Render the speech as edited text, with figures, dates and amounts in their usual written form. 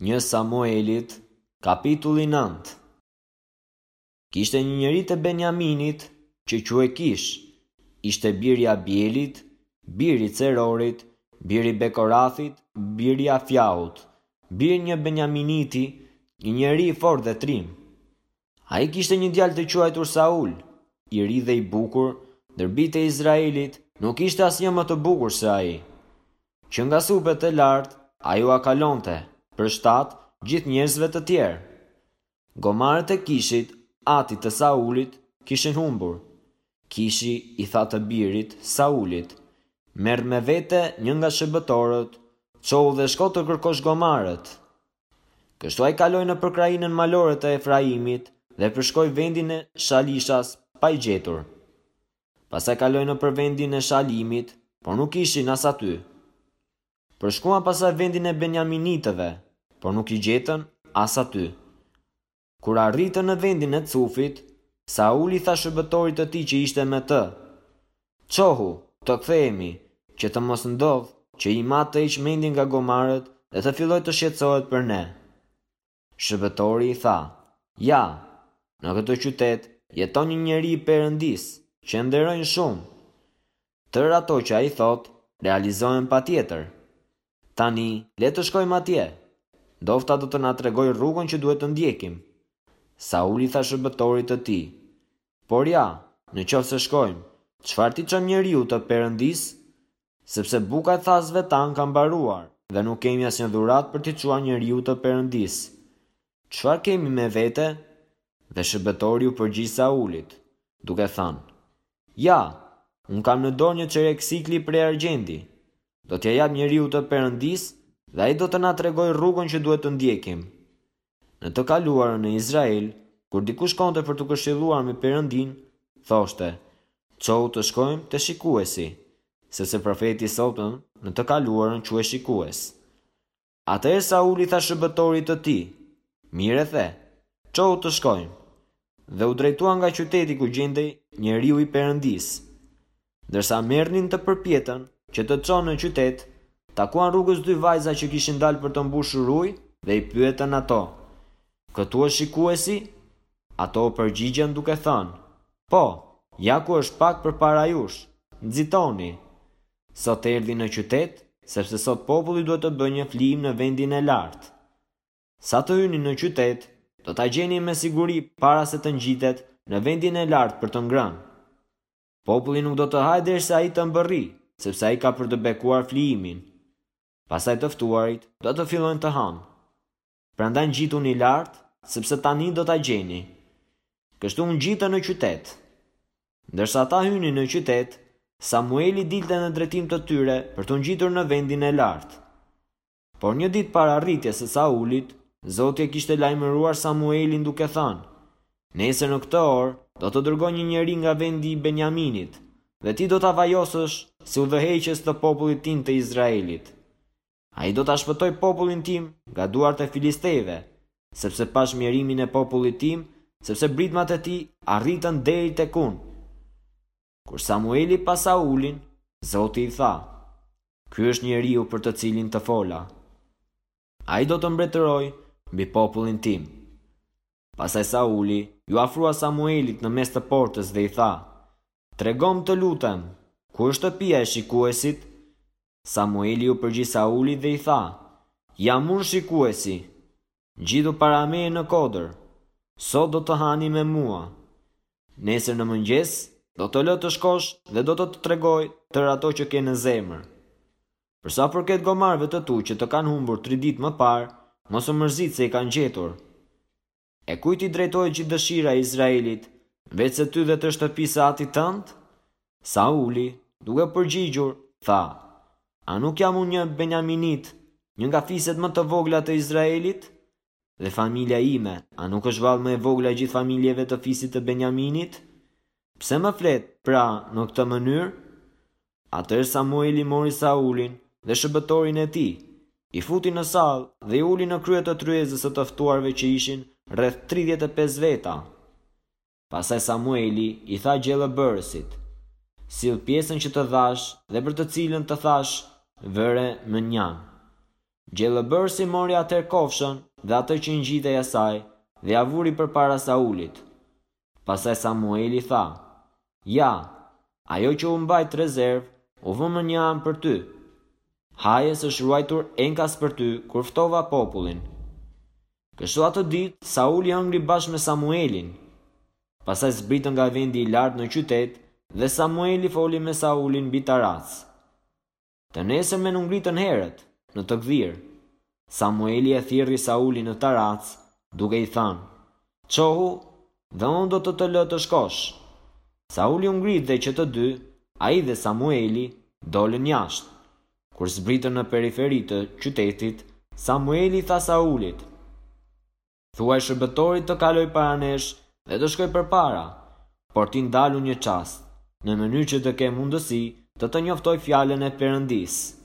Një Samuelit, kapitulli 9. Kishte një njeri të Benjaminit që quhej Kish, ishte bir i Abielit, bir i Cerorit, bir i Bekorathit, bir i Afiahut, bir një Benjaminiti, një njeri i fortë dhe trim. Ai kishte një djalë të quajtur Saul, i ri dhe i bukur, ndër bijtë e Izraelit nuk kishte asnjë më të bukur se ai. Që nga supet e lart, ai ua kalonte, për shtat, gjithë njerëzve të tjerë. Gomarët e Kishit, atit të Saulit, kishin humbur. Kishi i tha të birit, Saulit, Merr me vete një nga shërbëtorët, çohu dhe shko të kërkosh gomarët. Kështu ai kaloi nëpër krahinën malore të Efraimit dhe përshkoi vendin e Shalishas pa i gjetur. Pastaj kaloi nëpër vendin e Shalimit, por nuk ishin as aty. Përshkuan pastaj vendin e Benjaminitëve, por nuk i gjetën as aty. Kur arritën në vendin e Cufit, Sauli i tha shërbëtorit të tij që ishte me të, Çohu, të kthehemi, që të mos ndodhë që im atë të heqë mendjen nga gomarët dhe të fillojë të shqetësohet për ne. Shërbëtori i tha, Ja, në këtë qytet jeton një njeri i Perëndisë, që e nderojnë shumë. Tërë ato që ai thotë, realizohen patjetër. Tani, le të shkojmë atje. Ndofta do të na tregojë rrugën që duhet të ndjekim. Sauli i tha shërbëtorit të tij, Por ja, në qoftë se shkojmë, çfarë t'i çojmë njeriut të Perëndisë? Sepse buka e thasëve tanë ka mbaruar dhe nuk kemi asnjë dhuratë për t'i çuar njeriut të Perëndisë. Çfarë kemi me vete? Dhe shërbëtori iu përgjigj Saulit, duke thënë, Ja, unë kam në dorë një çerek sikli prej argjendi. Do t'ia jap njeriut të Perëndisë dhe ai do të na tregojë rrugën që duhet të ndjekim. Në të kaluarën në Izrael, kur dikush shkonte për t'u këshilluar me Perëndinë, thoshte, Çohu të shkojmë te shikuesi, sepse profeti i sotëm në të kaluarën quhej shikues. Atëherë Sauli i tha shërbëtorit të tij, Mirë e the, çohu të shkojmë. Dhe u drejtuan nga qyteti ku gjendej njeriu i Perëndisë. Ndërsa merrnin të përpjetën që të çon në qytet, takuan rrugës dy vajza që kishin dalë për të mbushur ujë dhe i pyetën ato, Këtu është shikuesi? Ato u përgjigjën duke thënë, Po, ja ku është pak përpara jush, nxitoni. Sot erdhi në qytet, sepse sot populli duhet të bëjë një flijim në vendin e lartë. Sa të hyni në qytet, do ta gjeni me siguri para se të ngjitet në vendin e lartë për të ngrënë. Populli nuk do të hajë derisa ai të mbërrijë, sepse ai ka për të bekuar flijimin. Pastaj të ftuarit do të fillojnë të hanë. Prandaj ngjituni lart, sepse tani do ta gjeni. Kështu u ngjitën në qytet. Ndërsa ata hynin në qytet, Samueli dilte në drejtim të tyre për t'u ngjitur në vendin e lartë. Por një ditë para arritjes së Saulit, Zoti e kishte lajmëruar Samuelin duke thënë, Nesër në këtë orë do të dërgoj një njeri nga vendi i Benjaminit, dhe ti do ta vajosësh si udhëheqës të popullit tim të Izraelit. Ai do ta shpëtojë popullin tim nga duart e filistejve, sepse pashë mjerimin e popullit tim, sepse britmat e tij arritën deri tek unë. Kur Samueli pa Saulin, Zoti i tha, Ky është njeriu për të cilin të fola. Ai do të mbretërojë mbi popullin tim. Pastaj Sauli iu afrua Samuelit në mes të portës dhe i tha, Tregomë të lutem, ku është shtëpia e shikuesit? Samueli iu përgjigj Saulit dhe i tha, Jam unë shikuesi. Ngjitu para meje në kodër. Sot do të hani me mua. Nesër në mëngjes do të lë të shkosh dhe do të të tregoj tërë ato që ke në zemër. Për sa u përket gomarëve të tu që të kanë humbur tri ditë më parë, mos u mërzit se i kanë gjetur. E kujt i drejtohet gjithë dëshira e Izraelit, veçse ty dhe të shtëpisë së atit tënd? Sauli, duke u përgjigjur, tha, A nuk jam unë një benjaminit, një nga fiset më të vogla të Izraelit? Dhe familja ime, a nuk është vallë më e vogla e gjithë familjeve të fisit të Benjaminit? Pse më flet, pra, në këtë mënyrë? Atëherë Samueli mori Saulin dhe shërbëtorin e tij, i futi në sallë dhe i uli në krye të tryezës së të ftuarve që ishin rreth 35 veta. Pastaj Samueli i tha gjellëbërësit, Sill pjesën që të dhashë dhe për të cilën të thashë, Vëre mënjanë. Gjellëbërësi mori atëherë kofshën dhe atë që i ngjitej asaj dhe ia vuri përpara Saulit. Pastaj Samueli tha, Ja, ajo që u mbajt rezervë u vë mënjanë për ty. Haje se është ruajtur enkas për ty kur ftova popullin. Kështu atë ditë Sauli hëngri bashkë me Samuelin. Pastaj zbritën nga vendi i lartë në qytet dhe Samueli foli me Saulin mbi tarracë. Të nesërmen u ngritën herët, në të gdhirë. Samueli e thirri Saulin në tarracë, duke i thënë, Çohu, dhe unë do të të lë të shkosh. Sauli u ngrit dhe që të dy, ai dhe Samueli, dolën jashtë. Kur zbritën në periferi të qytetit, Samueli i tha Saulit, Thuaj shërbëtorit të kalojë para nesh dhe të shkojë përpara, por ti ndalu një çast, në mënyrë që të kem mundësi të të njoftoj fjalën e Perëndisë.